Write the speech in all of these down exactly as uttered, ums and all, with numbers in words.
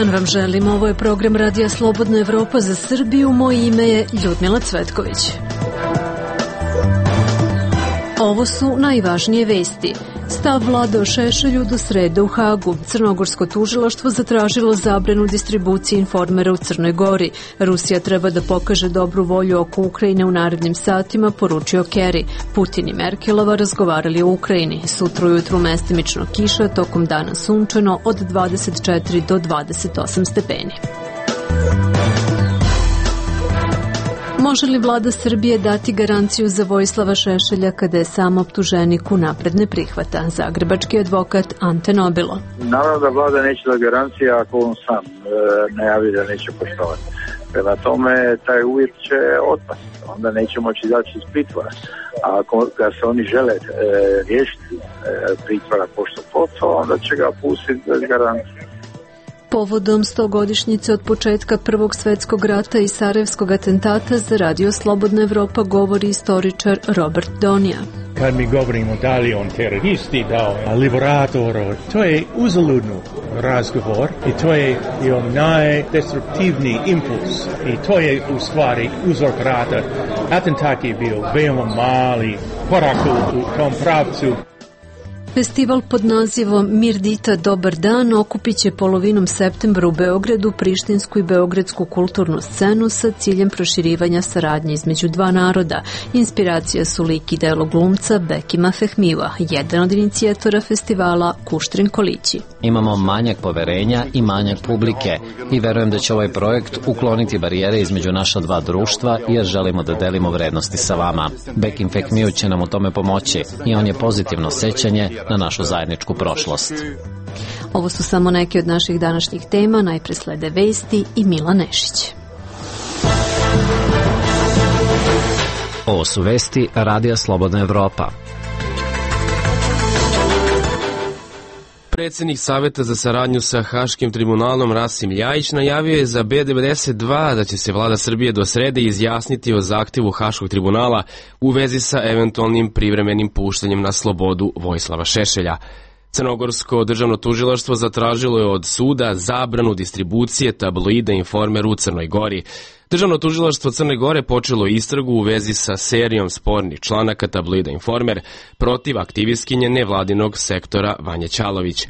dan vam želim. Ovo je program Radija Slobodna Evropa za Srbiju. Moje ime je Ljudmila Cvetković. Ovo su najvažnije vesti. Stav vlade o Šešelju do srede u Hagu. Crnogorsko tužilaštvo zatražilo zabranu distribucije Informera u Crnoj Gori. Rusija treba da pokaže dobru volju oko Ukrajine u narednim satima, poručio Kerry. Putin i Merkelova razgovarali o Ukrajini. Sutra ujutru mestimično kiša, tokom dana sunčano od dvadeset četiri do dvadeset osam stepeni. Može li vlada Srbije dati garanciju za Vojislava Šešelja kada je sam optuženik unapred ne prihvata? Zagrebački advokat Ante Nobilo. Naravno da vlada neće da garancija ako on sam e, najavi da neće poštovati. Prema tome, taj uvjet će otpasti. Onda neće moći izaći iz pritvora. A ako ga se oni žele e, riješiti e, pritvora pošto poto, onda će ga pustiti bez garancije. Povodom stogodišnjice od početka Prvog svetskog rata i Sarajevskog atentata za Radio Slobodna Evropa govori istoričar Robert Donija. Kad mi govorimo da li on teroristi, da on liberator, to je uzaludno razgovor i to je najdestruktivniji impuls i to je u stvari uzrok rata. Atentat je bio veoma mali korak u tom pravcu. Festival pod nazivom Mirdita Dobar dan okupit će polovinom septembra u Beogradu prištinsku i beogradsku kulturnu scenu sa ciljem proširivanja saradnje između dva naroda. Inspiracija su lik i delo glumca Bekima Fehmiva, jedan od inicijatora festivala Kuštrin Kolići. Imamo manjak poverenja i manjak publike i verujem da će ovaj projekt ukloniti barijere između naša dva društva jer želimo da delimo vrednosti sa vama. Bekim Fehmiu će nam u tome pomoći i on je pozitivno sećanje na našu zajedničku prošlost. Ovo su samo neke od naših današnjih tema, najpre slede vesti i Mila Nešić. Ovo su vesti Radija Slobodna Evropa. Predsjednik Saveta za saradnju sa Haškim tribunalom Rasim Ljajić najavio je za B devedeset dva da će se vlada Srbije do srede izjasniti o zahtjevu Haškog tribunala u vezi sa eventualnim privremenim puštanjem na slobodu Vojislava Šešelja. Crnogorsko državno tužilaštvo zatražilo je od suda zabranu distribucije tabloida Informer u Crnoj Gori. Državno tužilaštvo Crne Gore počelo istragu u vezi sa serijom spornih članaka tabloida Informer protiv aktivistkinje nevladinog sektora Vanje Ćalović.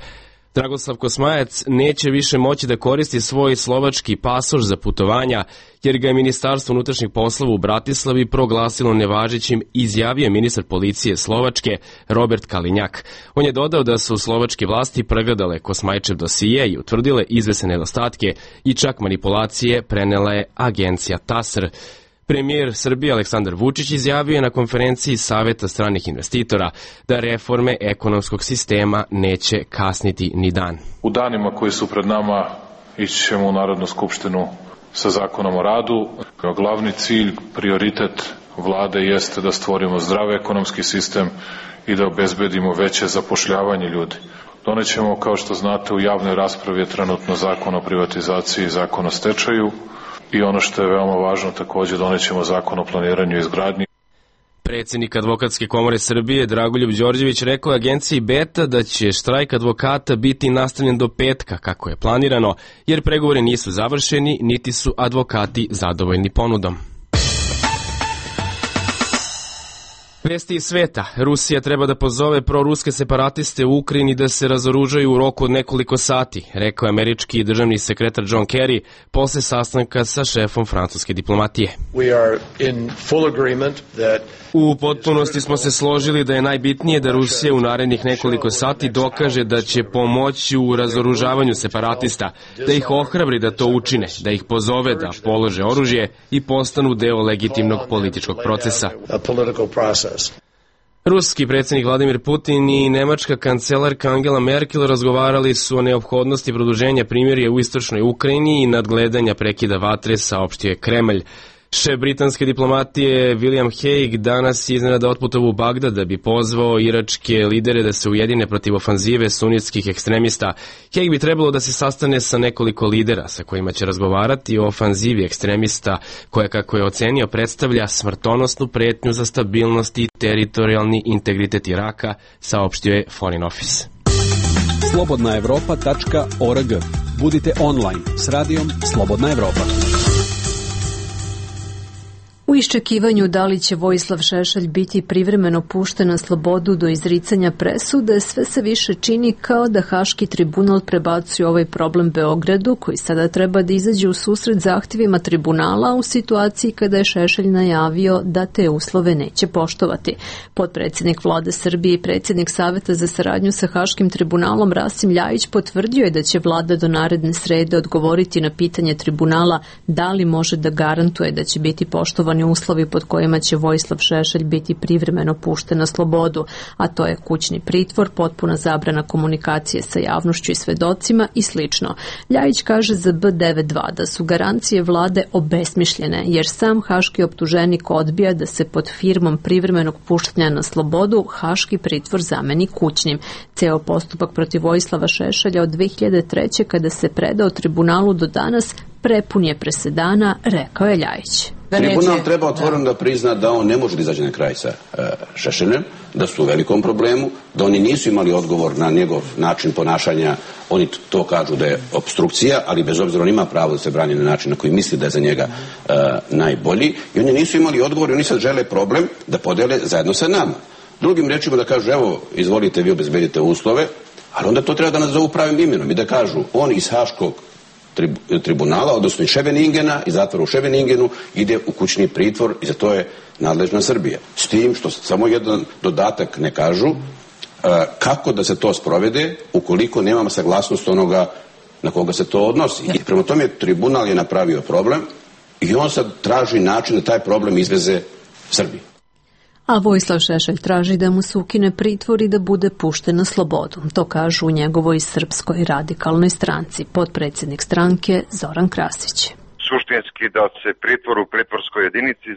Dragoslav Kosmajac neće više moći da koristi svoj slovački pasoš za putovanja, jer ga je Ministarstvo unutrašnjih poslova u Bratislavi proglasilo nevažećim, izjavio ministar policije Slovačke Robert Kalinjak. On je dodao da su slovačke vlasti pregledale Kosmajčev dosije i utvrdile izvesne nedostatke i čak manipulacije prenela je agencija TASR. Premijer Srbije Aleksandar Vučić izjavio je na konferenciji Saveta stranih investitora da reforme ekonomskog sistema neće kasniti ni dan. U danima koji su pred nama ići ćemo u Narodnu skupštinu sa zakonom o radu. Glavni cilj, prioritet vlade jeste da stvorimo zdrav ekonomski sistem i da obezbedimo veće zapošljavanje ljudi. Donećemo, kao što znate, u javnoj raspravi je trenutno zakon o privatizaciji i zakon o stečaju. I ono što je veoma važno, također donećemo zakon o planiranju i izgradnji. Predsjednik Advokatske komore Srbije Dragoljub Đorđević rekao je agenciji Beta da će štrajk advokata biti nastavljen do petka kako je planirano, jer pregovori nisu završeni, niti su advokati zadovoljni ponudom. Vesti iz sveta. Rusija treba da pozove proruske separatiste u Ukrajini da se razoružaju u roku od nekoliko sati, rekao je američki državni sekretar John Kerry posle sastanka sa šefom francuske diplomatije. U potpunosti smo se složili da je najbitnije da Rusija u narednih nekoliko sati dokaže da će pomoći u razoružavanju separatista, da ih ohrabri da to učine, da ih pozove da polože oružje i postanu deo legitimnog političkog procesa. Ruski predsjednik Vladimir Putin i nemačka kancelarka Angela Merkel razgovarali su o neophodnosti produženja primirja u istočnoj Ukrajini i nadgledanja prekida vatre, saopštio je Kremlj. Šef britanske diplomatije William Hague danas je iznenada otputovao u Bagdad da bi pozvao iračke lidere da se ujedine protiv ofanzive sunitskih ekstremista. Hague bi trebalo da se sastane sa nekoliko lidera sa kojima će razgovarati o ofanzivi ekstremista koja, kako je ocenio, predstavlja smrtonosnu pretnju za stabilnost i teritorijalni integritet Iraka, saopštio je Foreign Office. slobodna evropa tačka org Budite online s radijom Slobodna Evropa. U iščekivanju da li će Vojislav Šešelj biti privremeno pušten na slobodu do izricanja presude, sve se više čini kao da Haški tribunal prebacuje ovaj problem Beogradu, koji sada treba da izađe u susret zahtjevima tribunala u situaciji kada je Šešelj najavio da te uslove neće poštovati. Potpredsjednik Vlade Srbije i predsjednik Saveta za saradnju sa Haškim tribunalom Rasim Ljajić potvrdio je da će Vlada do naredne srede odgovoriti na pitanje tribunala da li može da garantuje da će biti poštovani uslovi pod kojima će Vojislav Šešelj biti privremeno pušten na slobodu, a to je kućni pritvor, potpuna zabrana komunikacije sa javnošću i svedocima i slično. Ljajić kaže za B devedeset dva da su garancije vlade obesmišljene, jer sam haški optuženik odbija da se pod firmom privremenog puštanja na slobodu haški pritvor zameni kućnim. Ceo postupak protiv Vojislava Šešelja od dve hiljade treće kada se predao tribunalu do danas prepun je presedana, rekao je Ljajić. Tribunal treba otvoreno da prizna da on ne može da izađe na kraj sa uh, Šešeljem, da su u velikom problemu, da oni nisu imali odgovor na njegov način ponašanja. Oni to kažu da je obstrukcija, ali bez obzira on ima pravo da se brani na način na koji misli da je za njega uh, najbolji. I oni nisu imali odgovor i oni sad žele problem da podele zajedno sa nama. Drugim rečima da kažu, evo, izvolite, vi obezbedite uslove, ali onda to treba da nas zovu pravim imenom i da kažu, on iz Haškog tribunala, odnosno iz Ševeningena, iz zatvora u Ševeningenu, ide u kućni pritvor i za to je nadležna Srbija. S tim što samo jedan dodatak ne kažu kako da se to sprovede ukoliko nemamo saglasnost onoga na koga se to odnosi. I prema tome tribunal je napravio problem i on sad traži način da taj problem izveze Srbiji. A Vojislav Šešelj traži da mu se ukine pritvor i da bude pušten na slobodu. To kažu u njegovoj Srpskoj radikalnoj stranci, potpredsjednik stranke Zoran Krasić. Suštinski da se pritvor u pritvorskoj jedinici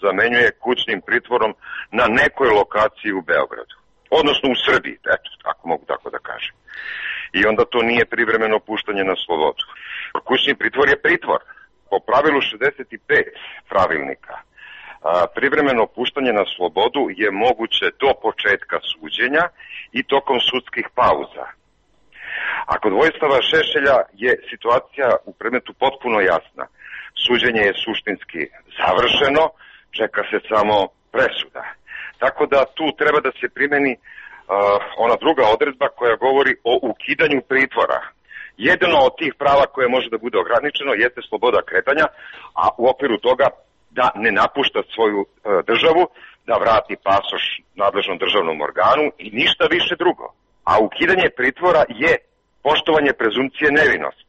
zamenjuje kućnim pritvorom na nekoj lokaciji u Beogradu. Odnosno u Srbiji, eto, ako mogu tako da kažem. I onda to nije privremeno puštanje na slobodu. Kućni pritvor je pritvor. Po pravilu šezdeset pet pravilnika. Privremeno puštanje na slobodu je moguće do početka suđenja i tokom sudskih pauza. A kod Vojislava Šešelja je situacija u predmetu potpuno jasna. Suđenje je suštinski završeno, čeka se samo presuda. Tako da tu treba da se primeni uh, ona druga odredba koja govori o ukidanju pritvora. Jedno od tih prava koje može da bude ograničeno jeste sloboda kretanja, a u okviru toga da ne napušta svoju e, državu, da vrati pasoš nadležnom državnom organu i ništa više drugo. A ukidanje pritvora je poštovanje prezumcije nevinosti.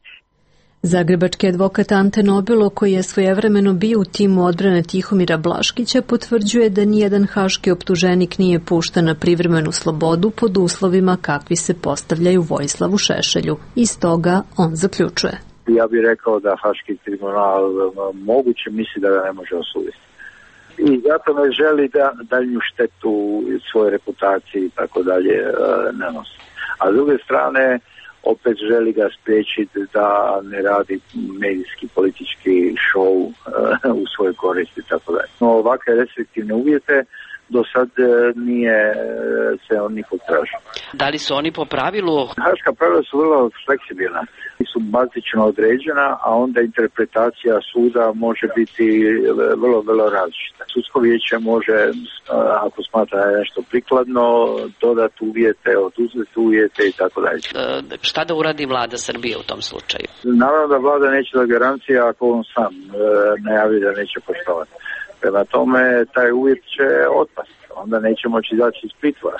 Zagrebački advokat Ante Nobilo, koji je svojevremeno bio u timu odbrane Tihomira Blaškića, potvrđuje da nijedan haški optuženik nije pušten na privremenu slobodu pod uslovima kakvi se postavljaju Vojislavu Šešelju. Iz toga on zaključuje. Ja bih rekao da Haški tribunal moguće misli da ga ne može osuditi. I zato ne želi da daljnju štetu svoje reputacije i tako dalje ne nosi. A s druge strane, opet želi ga spriječiti da ne radi medijski, politički show u svojoj koristi i tako dalje. No, ovakve restriktivne uvjete do sad nije se on nikog tražio. Da li su oni po pravilu? Haška pravila su vrlo fleksibilna. Su bazično određena, a onda interpretacija suda može biti vrlo, vrlo različita. Sudsko vijeće može, ako smatra da je nešto prikladno, dodati uvjete, oduzeti uvjete i tako dalje. Šta da uradi vlada Srbije u tom slučaju? Naravno da vlada neće da garancija ako on sam najavi da neće poštovati. Prema tome, taj uvjet će otpasti. Onda neće moći izaći iz pritvora.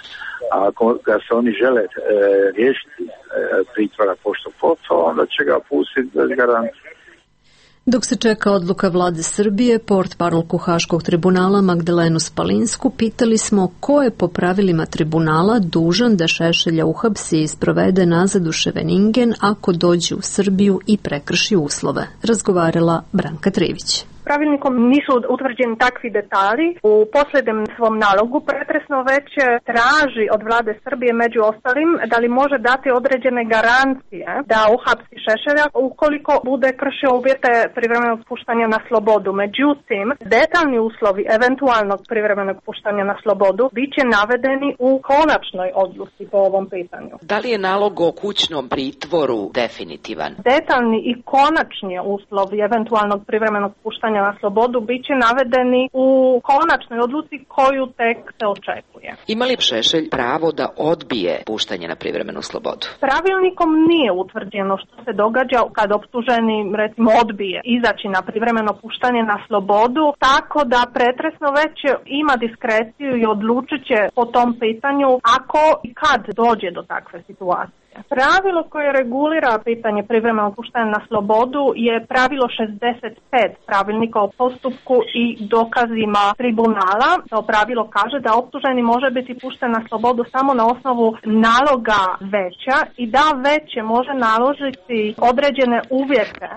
A ako ga se oni žele e, riješiti e, pritvora pošto poto, onda će ga pustiti bez garancije. Dok se čeka odluka vlade Srbije, portparolku Haškog tribunala Magdalenu Spalinsku pitali smo ko je po pravilima tribunala dužan da Šešelja uhapsi i sprovede nazad u Ševeningen ako dođe u Srbiju i prekrši uslove. Razgovarala Branka Trivić. pravilnikom nisu utvrđeni takvi detalji. U posljednjem svom nalogu pretresno već traži od vlade Srbije među ostalim da li može dati određene garancije da uhapsi Šešelja ukoliko bude kršio uvjete privremenog puštanja na slobodu. Međutim, detaljni uslovi eventualnog privremenog puštanja na slobodu bit će navedeni u konačnoj odluci po ovom pitanju. Da li je nalog o kućnom pritvoru definitivan? Detaljni i konačni uslovi eventualnog privremenog puštanja na slobodu bit će navedeni u konačnoj odluci koju tek se očekuje. Ima li Šešelj pravo da odbije puštanje na privremenu slobodu? Pravilnikom nije utvrđeno što se događa kad optuženi recimo odbije izaći na privremeno puštanje na slobodu, tako da pretresno već ima diskreciju i odlučit će po tom pitanju ako i kad dođe do takve situacije. Pravilo koje regulira pitanje privremenog puštanja na slobodu je pravilo šezdeset pet pravilnika o postupku i dokazima tribunala. To pravilo kaže da optuženi može biti pušten na slobodu samo na osnovu naloga veća i da veće može naložiti određene uvjete.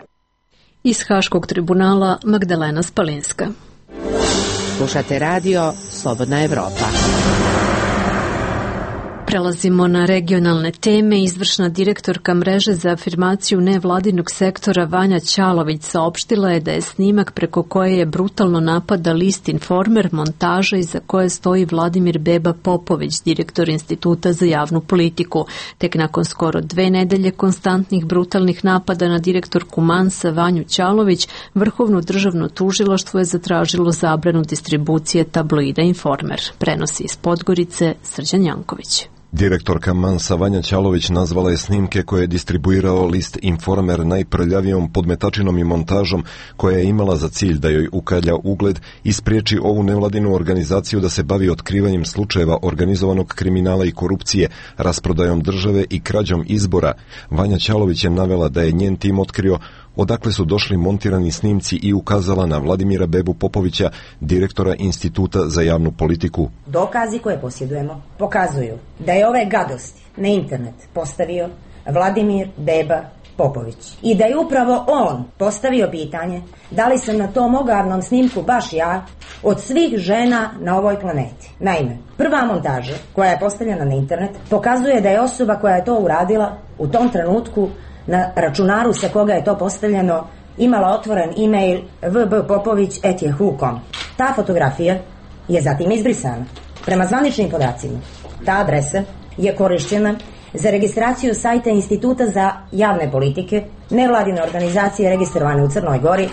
Iz Haškog tribunala Magdalena Spalinska. Slušate radio Slobodna Evropa. Prelazimo na regionalne teme. Izvršna direktorka mreže za afirmaciju nevladinog sektora Vanja Ćalović saopštila je da je snimak preko koje je brutalno napada list Informer montaža iza koje stoji Vladimir Beba Popović, direktor Instituta za javnu politiku. Tek nakon skoro dve nedelje konstantnih brutalnih napada na direktorku Mansa Vanju Ćalović, Vrhovno državno tužilaštvo je zatražilo zabranu distribucije tabloida Informer. Prenosi iz Podgorice Srđan Janković. Direktorka Mansa Vanja Ćalović nazvala je snimke koje je distribuirao list Informer najprljavijom podmetačinom i montažom koja je imala za cilj da joj ukalja ugled i spriječi ovu nevladinu organizaciju da se bavi otkrivanjem slučajeva organizovanog kriminala i korupcije, rasprodajom države i krađom izbora. Vanja Ćalović je navela da je njen tim otkrio odakle su došli montirani snimci i ukazala na Vladimira Bebu Popovića, direktora Instituta za javnu politiku. Dokazi koje posjedujemo pokazuju da je ove gadosti na internet postavio Vladimir Beba Popović i da je upravo on postavio pitanje da li sam na tom ogavnom snimku baš ja od svih žena na ovoj planeti. Naime, prva montaža koja je postavljena na internet pokazuje da je osoba koja je to uradila u tom trenutku na računaru sa koga je to postavljeno imala otvoren e-mail v b popović at yahoo dot com. Ta fotografija je zatim izbrisana. Prema zvaničnim podacima, ta adresa je korišćena za registraciju sajta Instituta za javne politike, nevladine organizacije registrovane u Crnoj Gori,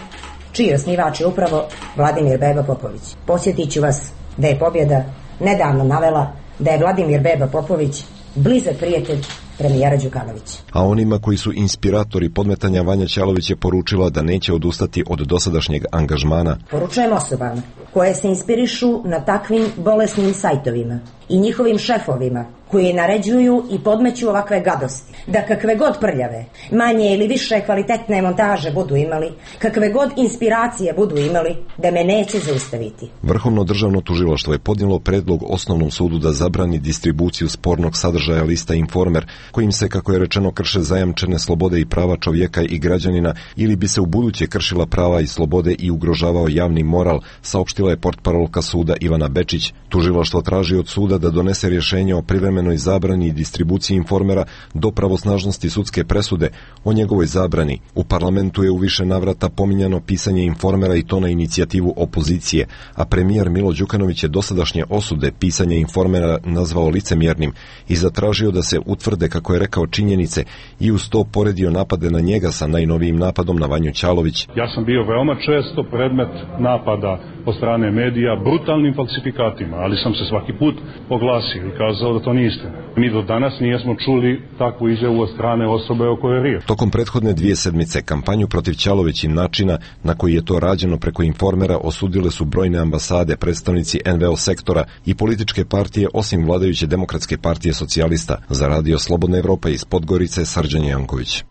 čiji osnivač je upravo Vladimir Beba Popović. Podsjetit ću vas da je pobjeda nedavno navela da je Vladimir Beba Popović blizak prijatelj premijera Đukanovića. A onima koji su inspiratori podmetanja Vanja Ćalović je poručila da neće odustati od dosadašnjeg angažmana. Poručujem osobama koje se inspirišu na takvim bolesnim sajtovima i njihovim šefovima koji naređuju i podmeću ovakve gadosti, da kakve god prljave, manje ili više kvalitetne montaže budu imali, kakve god inspiracije budu imali, da me neće zaustaviti. Vrhovno državno tužilaštvo je podnijelo predlog Osnovnom sudu da zabrani distribuciju spornog sadržaja lista Informer, kojim se, kako je rečeno, krše zajamčene slobode i prava čovjeka i građanina ili bi se ubuduće kršila prava i slobode i ugrožavao javni moral, saopštila je portparolka suda Ivana Bečić. Tužilaštvo traži od suda da donese rješenje o privremenoj zabrani i distribuciji Informera do pravosnažnosti sudske presude o njegovoj zabrani. U parlamentu je u više navrata pominjano pisanje Informera i to na inicijativu opozicije, a premijer Milo Đukanović je dosadašnje osude pisanja Informera nazvao licemjernim i zatražio da se utvrde, kako je rekao, činjenice i uz to poredio napade na njega sa najnovijim napadom na Vanju Ćalović. Ja sam bio veoma često predmet napada od strane medija brutalnim falsifikatima, ali sam se svaki put oglasio i kazao da to nije istina. Mi do danas nijesmo čuli takvu izjavu od strane osobe o kojoj je riječ. Tokom prethodne dvije sedmice kampanju protiv Ćalović i načina na koji je to rađeno preko Informera osudile su brojne ambasade, predstavnici en ve o sektora i političke partije osim vladajuće Demokratske partije socijalista. Za radio Slobodna Evropa iz Podgorice, Srđan Janković.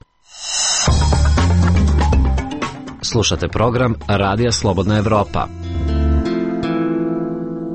Slušate program Radija Slobodna Evropa.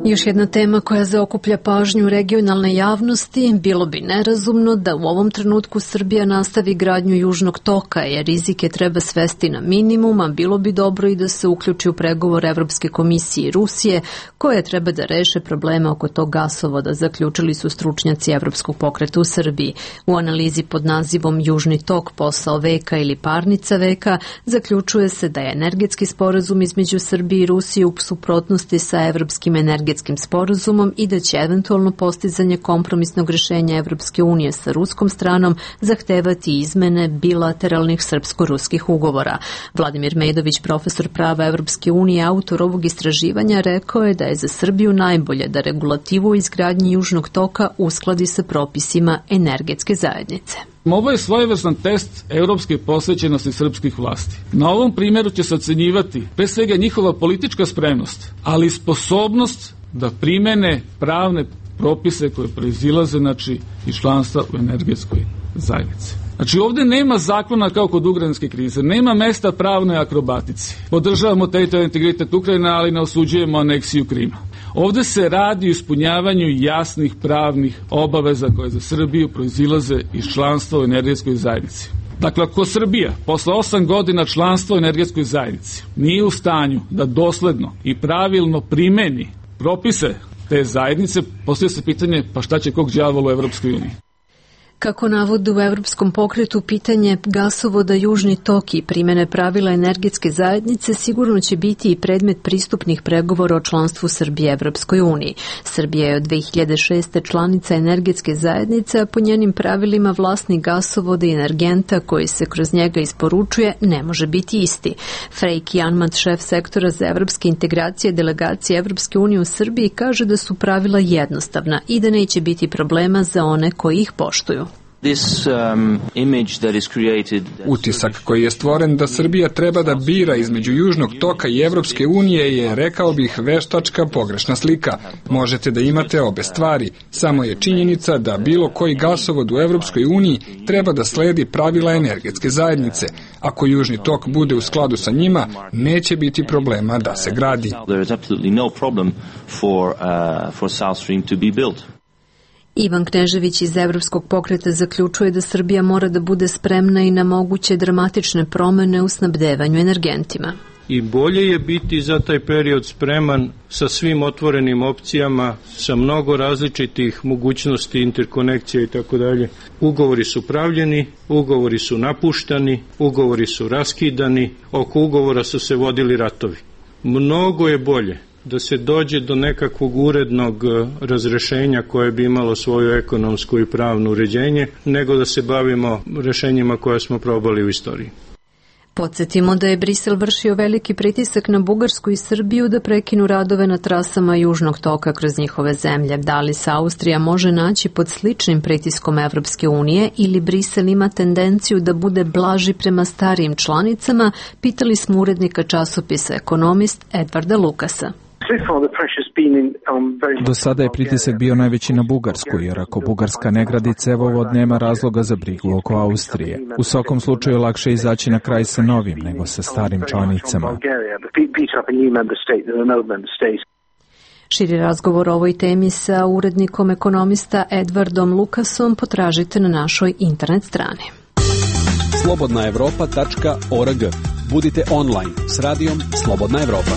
Još jedna tema koja zaokuplja pažnju regionalne javnosti, bilo bi nerazumno da u ovom trenutku Srbija nastavi gradnju Južnog toka, jer rizike treba svesti na minimum, a bilo bi dobro i da se uključi u pregovor Evropske komisije i Rusije, koje treba da reše probleme oko tog gasovoda, zaključili su stručnjaci Evropskog pokreta u Srbiji. U analizi pod nazivom Južni tok, posao veka ili parnica veka, zaključuje se da je energetski sporazum između Srbije i Rusije u suprotnosti sa Evropskim energetskim sporazumom i da će eventualno postizanje kompromisnog rešenja Evropske unije sa ruskom stranom zahtevati izmene bilateralnih srpsko-ruskih ugovora. Vladimir Medović, profesor prava Evropske unije, autor ovog istraživanja, rekao je da je za Srbiju najbolje da regulativu o izgradnji Južnog toka uskladi sa propisima energetske zajednice. Ovo je svojevrstan test evropske posvećenosti srpskih vlasti. Na ovom primjeru će se ocenjivati pre svega njihova politička spremnost, ali i sposobnost da primene pravne propise koje proizilaze, znači, iz članstva u energetskoj zajednici. Znači, ovdje nema zakona kao kod ukrajinske krize, nema mesta pravnoj akrobatici. Podržavamo teritorijalni integritet Ukrajine, ali ne osuđujemo aneksiju Krima. Ovdje se radi o ispunjavanju jasnih pravnih obaveza koje za Srbiju proizilaze iz članstva u energetskoj zajednici. Dakle, ako Srbija posle osam godina članstva u energetskoj zajednici nije u stanju da dosledno i pravilno primeni propise te zajednice, postavlja se pitanje pa šta će kog đavola u Evropskoj uniji. Kako navode u Evropskom pokretu, pitanje gasovoda Južni tok i primene pravila energetske zajednice sigurno će biti i predmet pristupnih pregovora o članstvu Srbije Evropskoj uniji. Srbija je od dve hiljade šeste. članica energetske zajednice, a po njenim pravilima vlasnik gasovoda i energenta koji se kroz njega isporučuje ne može biti isti. Frejk Janmat, šef sektora za evropske integracije delegacije Evropske unije u Srbiji, kaže da su pravila jednostavna i da neće biti problema za one koji ih poštuju. Utisak koji je stvoren da Srbija treba da bira između Južnog toka i Evropske unije je, rekao bih, veštačka pogrešna slika. Možete da imate obe stvari, samo je činjenica da bilo koji gasovod u Evropskoj uniji treba da sledi pravila energetske zajednice. Ako Južni tok bude u skladu sa njima, neće biti problema da se gradi. Ivan Knežević iz Evropskog pokreta zaključuje da Srbija mora da bude spremna i na moguće dramatične promene u snabdevanju energentima. I bolje je biti za taj period spreman sa svim otvorenim opcijama, sa mnogo različitih mogućnosti, interkonekcija i tako dalje. Ugovori su pravljeni, ugovori su napuštani, ugovori su raskidani, oko ugovora su se vodili ratovi. Mnogo je bolje da se dođe do nekakvog urednog razrešenja koje bi imalo svoju ekonomsku i pravno uređenje, nego da se bavimo rešenjima koje smo probali u istoriji. Podsjetimo da je Brisel vršio veliki pritisak na Bugarsku i Srbiju da prekinu radove na trasama Južnog toka kroz njihove zemlje. Da li se Austrija može naći pod sličnim pritiskom Evropske unije ili Brisel ima tendenciju da bude blaži prema starijim članicama, pitali smo urednika časopisa Ekonomist Edvarda Lukasa. Do sada je pritisak bio najveći na Bugarsku, jer ako Bugarska ne gradi cevovod, nema razloga za brigu oko Austrije. U svakom slučaju lakše izaći na kraj sa novim nego sa starim članicama. Širi razgovor o ovoj temi sa urednikom Ekonomista Edvardom Lukasom potražite na našoj internet strani. slobodna evropa tačka org. Budite online s radijom Slobodna Evropa.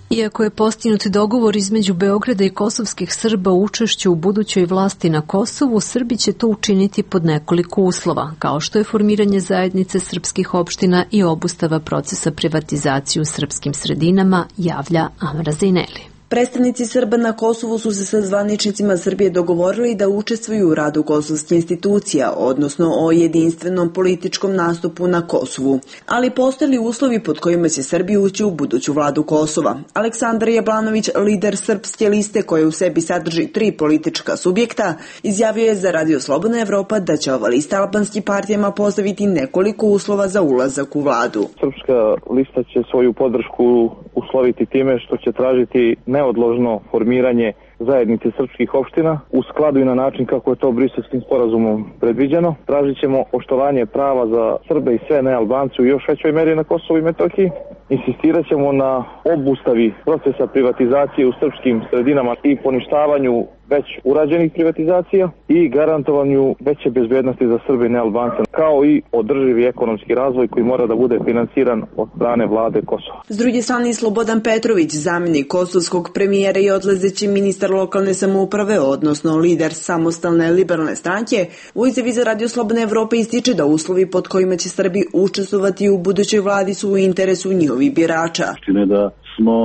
Iako je postignut dogovor između Beograda i kosovskih Srba o učešću u budućoj vlasti na Kosovu, Srbi će to učiniti pod nekoliko uslova, kao što je formiranje zajednice srpskih opština i obustava procesa privatizacije u srpskim sredinama, javlja Amra Zineli. Predstavnici Srba na Kosovu su se sa zvaničnicima Srbije dogovorili da učestvuju u radu kosovskih institucija, odnosno o jedinstvenom političkom nastupu na Kosovu. Ali postoje uslovi pod kojima će Srbija ući u buduću vladu Kosova. Aleksandar Jablanović, lider Srpske liste koja u sebi sadrži tri politička subjekta, izjavio je za Radio Slobodna Evropa da će ova lista albanskim partijama postaviti nekoliko uslova za ulazak u vladu. Srpska lista će svoju podršku usloviti time što će tražiti neodložno formiranje zajednice srpskih opština u skladu i na način kako je to Briselskim sporazumom predviđeno. Tražit ćemo poštovanje prava za Srbe i sve nealbance u još većoj meri na Kosovu i Metohiji. Insistirat ćemo na obustavi procesa privatizacije u srpskim sredinama i poništavanju već urađenih privatizacija i garantovanju veće bezbednosti za Srbe i nealbance, kao i održivi ekonomski razvoj koji mora da bude finansiran od strane vlade Kosova. S druge strane, Slobodan Petrović, zamjenik kosovskog premijera i odlazeći ministar lokalne samouprave, odnosno lider samostalne liberalne stranke, u izjavi za Radio Slobodna Evropa ističe da uslovi pod kojima će Srbi učestvovati u budućoj vladi su u interesu njihovih birača. Čine da smo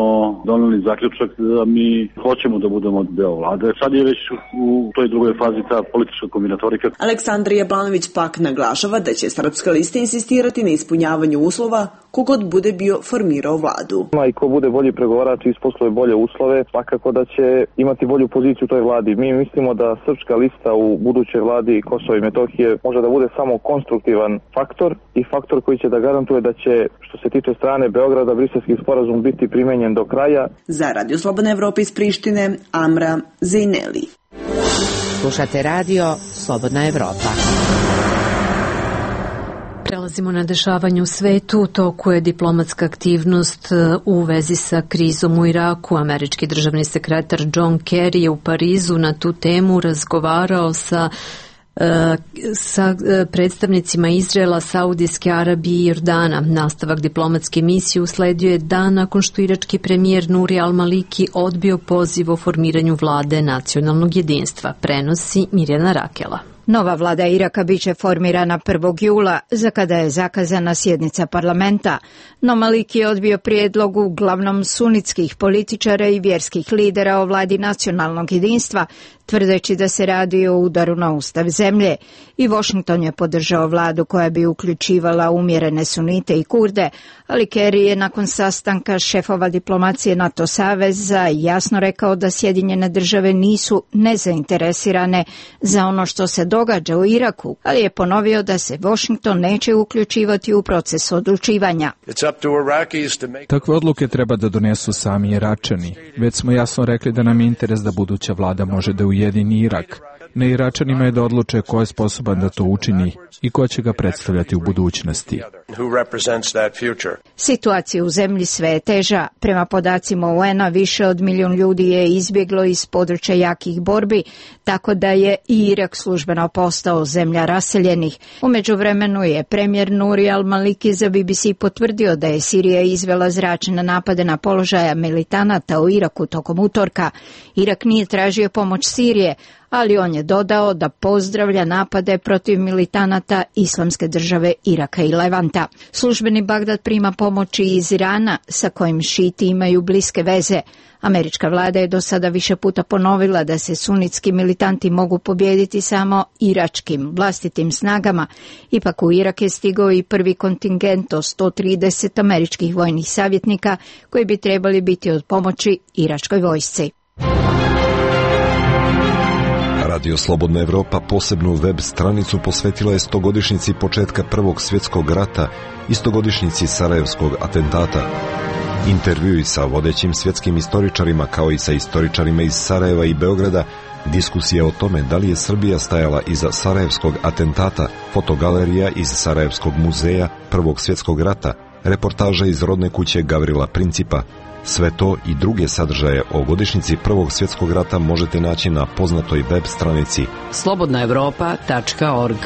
doneli zaključak da mi hoćemo da budemo deo vlade. Sad je već u toj drugoj fazi ta politička kombinatorika. Aleksandar Jablanović pak naglašava da će Srpska lista insistirati na ispunjavanju uslova kogod bude bio formirao vladu. I ko bude bolji pregovarač i isposluje bolje uslove, svakako da će imati bolju poziciju u toj vladi. Mi mislimo da Srpska lista u budućoj vladi Kosova i Metohije može da bude samo konstruktivan faktor i faktor koji će da garantuje da će, što se tiče strane Beograda, Briselski sporazum biti primenjen do kraja. Za Radio Slobodna Evropa iz Prištine, Amra Zejneli. Slušate Radio Slobodna Evropa. Prelazimo na dešavanje u svetu. U toku je diplomatska aktivnost u vezi sa krizom u Iraku. Američki državni sekretar John Kerry je u Parizu na tu temu razgovarao sa sa predstavnicima Izraela, Saudijske Arabije i Jordana. Nastavak diplomatske misije usledio je dan nakon što irački premijer Nuri al-Maliki odbio poziv o formiranju vlade nacionalnog jedinstva, prenosi Mirjana Rakela. Nova vlada Iraka biće formirana prvog jula, za kada je zakazana sjednica parlamenta, no Maliki je odbio prijedlog uglavnom sunitskih političara i vjerskih lidera o vladi nacionalnog jedinstva, tvrdeći da se radi o udaru na ustav zemlje. I Washington je podržao vladu koja bi uključivala umjerene sunite i kurde, ali Kerry je nakon sastanka šefova diplomacije NATO saveza jasno rekao da Sjedinjene države nisu nezainteresirane za ono što se događa u Iraku, ali je ponovio da se Washington neće uključivati u proces odlučivanja. Takve odluke treba da donesu sami Iračani. Već smo jasno rekli da nam je interes da buduća vlada može da ujedini Irak. Na Iračanima je da odluče ko je sposoban da to učini i ko će ga predstavljati u budućnosti. Situacija u zemlji sve je teža. Prema podacima U N-a više od milijun ljudi je izbjeglo iz područja jakih borbi, tako da je i Irak službeno postao zemlja raseljenih. U međuvremenu je premijer Nuri al-Maliki za B B C potvrdio da je Sirija izvela zračne napade na položaja militanata u Iraku tokom utorka. Irak nije tražio pomoć Sirije, ali on je dodao da pozdravlja napade protiv militanata Islamske države Iraka i Levanta. Službeni Bagdad prima pomoći iz Irana, sa kojim šiti imaju bliske veze. Američka vlada je do sada više puta ponovila da se sunitski militanti mogu pobijediti samo iračkim vlastitim snagama. Ipak u Irak je stigao i prvi kontingent od sto trideset američkih vojnih savjetnika koji bi trebali biti od pomoći iračkoj vojsci. Radio Slobodna Evropa posebnu web stranicu posvetila je stogodišnjici početka Prvog svjetskog rata i stogodišnjici Sarajevskog atentata. Intervjui sa vodećim svjetskim istoričarima kao i sa istoričarima iz Sarajeva i Beograda, diskusija o tome da li je Srbija stajala iza Sarajevskog atentata, fotogalerija iz Sarajevskog muzeja Prvog svjetskog rata, reportaža iz rodne kuće Gavrila Principa. Sve to i druge sadržaje o godišnjici Prvog svjetskog rata možete naći na poznatoj web stranici slobodna evropa tačka org.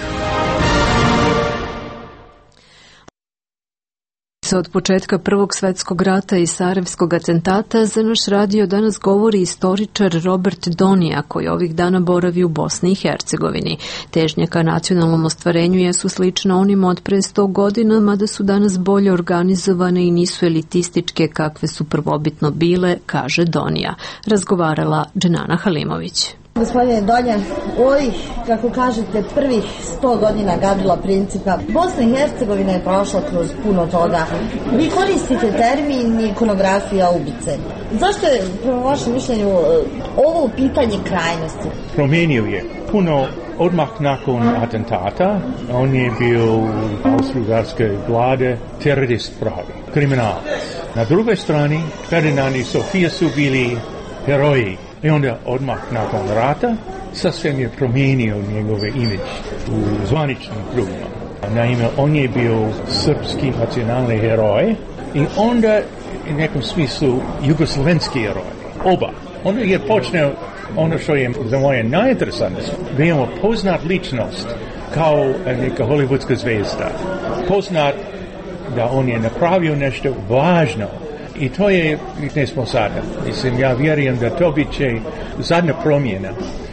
Od početka Prvog svjetskog rata i Sarajevskog atentata za naš radio danas govori istoričar Robert Donija, koji ovih dana boravi u Bosni i Hercegovini. Težnje ka nacionalnom ostvarenju jesu slične onima od pre sto godina, mada su danas bolje organizovane i nisu elitističke kakve su prvobitno bile, kaže Donija. Razgovarala Dženana Halimović. Gospodine Donja, u ovih, kako kažete, prvih sto godina Gavrila Principa, Bosna i Hercegovina je prošla kroz puno toga. Vi koristite termin ikonografija ubice. Zašto je, prema vašem mišljenju, ovo pitanje krajnosti? Promijenio je puno odmah nakon atentata. On je bio u austro-ugarske vlade terorist pravi, kriminalac. Na drugoj strani, Ferdinand i Sofija su bili heroji. I onda odmah nakon rata sasvim je promijenio njegove imidž u zvaničnim krugima. Naime, on je bio srpski nacionalni heroj i onda u nekom smislu jugoslovenski heroj. Oba. Onda je počeo ono što je za moje najinteresantnije, veoma poznat ličnost kao neka hollywoodska zvezda. Poznat da on je napravio nešto važno i to je, ne smo sada. Mislim, ja vjerujem da to bit će zadnja promjena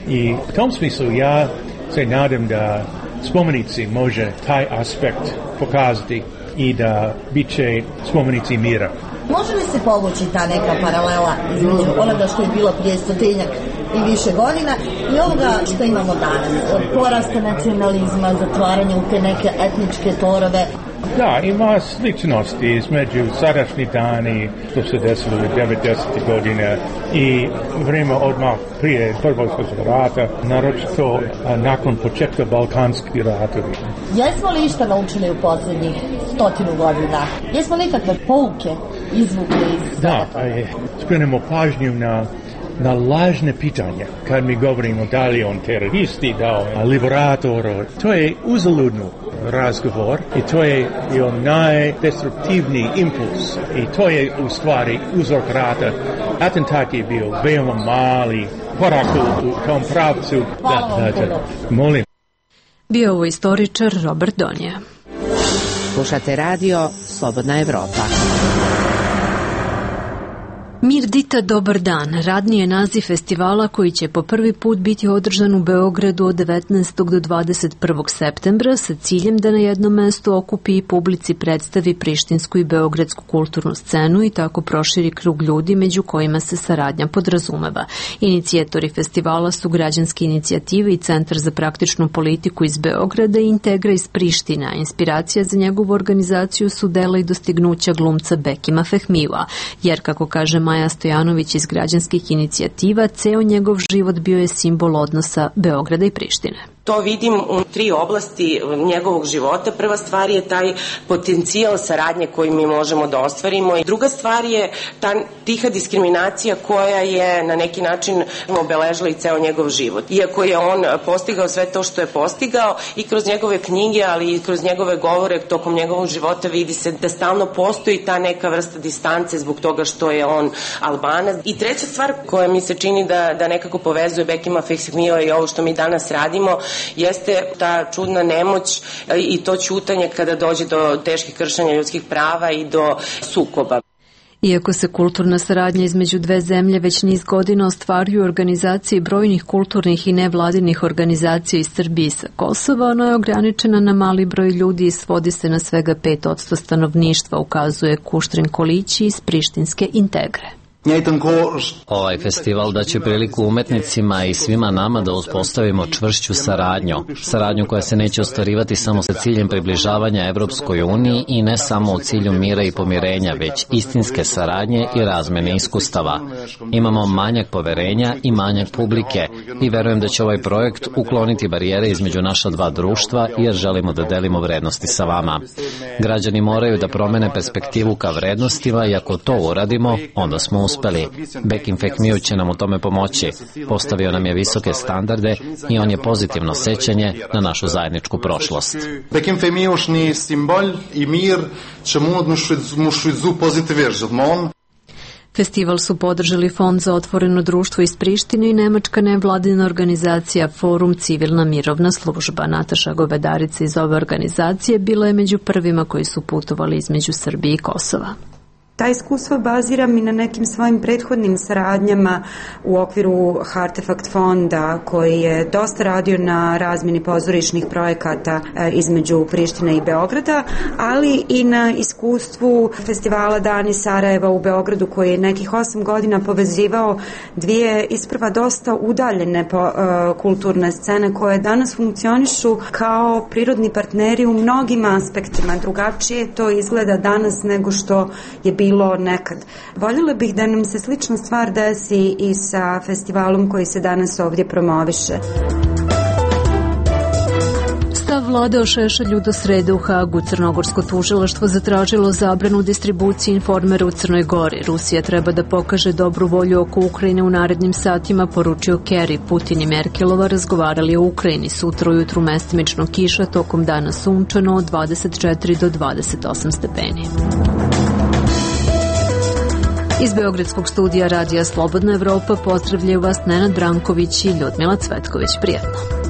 i u tom smislu ja se nadam da spomenici može taj aspekt pokazati i da bit će spomenici mira. Može li se povući ta neka paralela između onoga što je bilo prije stotinjak i više godina i ovoga što imamo danas? Od porasta nacionalizma, zatvaranja u te neke etničke torove. Da, ima sličnosti između sadašnji dani što se desilo u devedesetih godine i vrijeme odmah prije Prvog svjetskog rata, naročito nakon početka Balkanskih ratovi. Jesmo li išta naučili u posljednjih stotinu godina? Jesmo li ikakve pouke izvukli iz Da, skrenemo pažnju na na lažne pitanja. Kad mi govorimo da li on teroristi, da on liberator, to je uzaludno razgovor i to je bio najdestruktivniji impuls i to je u stvari uzrok rata. Atentat je bio veoma mali korak u tom pravcu. Hvala vam puno. Molim. Bio ovo istoričar Robert Donija. Slušate radio Slobodna Evropa. Mir Dita, dobar dan. Radni je naziv festivala koji će po prvi put biti održan u Beogradu od devetnaestog do dvadeset prvog septembra sa ciljem da na jednom mestu okupi i publici predstavi prištinsku i beogradsku kulturnu scenu i tako proširi krug ljudi među kojima se saradnja podrazumeva. Inicijatori festivala su Građanske inicijative i Centar za praktičnu politiku iz Beograda i Integra iz Priština. Inspiracija za njegovu organizaciju su dela i dostignuća glumca Bekima Fehmijua, jer kako kaže Maja Stojanović iz Građanskih inicijativa, ceo njegov život bio je simbol odnosa Beograda i Prištine. To vidim u tri oblasti njegovog života. Prva stvar je taj potencijal saradnje koji mi možemo da ostvarimo i druga stvar je ta tiha diskriminacija koja je na neki način obeležila i ceo njegov život. Iako je on postigao sve to što je postigao i kroz njegove knjige, ali i kroz njegove govore tokom njegovog života vidi se da stalno postoji ta neka vrsta distance zbog toga što je on Albanac. I treća stvar koja mi se čini da, da nekako povezuje Bekima Fehmijua i ovo što mi danas radimo jeste ta čudna nemoć i to ćutanje kada dođe do teških kršenja ljudskih prava i do sukoba. Iako se kulturna saradnja između dve zemlje već niz godina ostvaruju organizacije brojnih kulturnih i nevladinih organizacija iz Srbije i sa Kosova, ona je ograničena na mali broj ljudi i svodi se na svega pet posto stanovništva, ukazuje Kuštrin Kolići iz prištinske Integre. Ovaj festival daće priliku umetnicima i svima nama da uspostavimo čvršću saradnju. Saradnju koja se neće ostvarivati samo sa ciljem približavanja Evropskoj uniji i ne samo u cilju mira i pomirenja, već istinske saradnje i razmene iskustava. Imamo manjak poverenja i manjak publike i verujem da će ovaj projekt ukloniti barijere između naša dva društva jer želimo da delimo vrednosti sa vama. Građani moraju da promene perspektivu ka vrednostima i ako to uradimo, onda smo uspeli. Bekim Fehmiju će nam u tome pomoći. Postavio nam je visoke standarde i on je pozitivno sećanje na našu zajedničku prošlost. Bekim Fehmijušni simbol i mir će mu švizu pozitivno. Festival su podržali Fond za otvoreno društvo iz Prištine i nemačka nevladina organizacija Forum Civilna mirovna služba. Nataša Govedarica iz ove organizacije bila je među prvima koji su putovali između Srbije i Kosova. Ta iskustva baziram i na nekim svojim prethodnim saradnjama u okviru Artefakt fonda koji je dosta radio na razmjeni pozorišnih projekata između Prištine i Beograda, ali i na iskustvu festivala Dani Sarajeva u Beogradu koji je nekih osam godina povezivao dvije isprva dosta udaljene kulturne scene koje danas funkcionišu kao prirodni partneri u mnogim aspektima. Drugačije to izgleda danas nego što je bilo nekad. Voljela bih da nam se slična stvar desi i sa festivalom koji se danas ovdje promoviše. Stav vlada o Šešelju do srede u Hagu. Crnogorsko tužilaštvo zatražilo zabranu distribucije Informera u Crnoj Gori. Rusija treba da pokaže dobru volju oko Ukrajine u narednim satima, poručio Kerry. Putin i Merkelova razgovarali o Ukrajini. Sutra ujutru mestimično kiša, tokom dana sunčano od dvadeset četiri do dvadeset osam stepeni. Iz Beogradskog studija Radija Slobodna Evropa pozdravljaju vas Nenad Branković i Ljudmila Cvetković. Prijetno.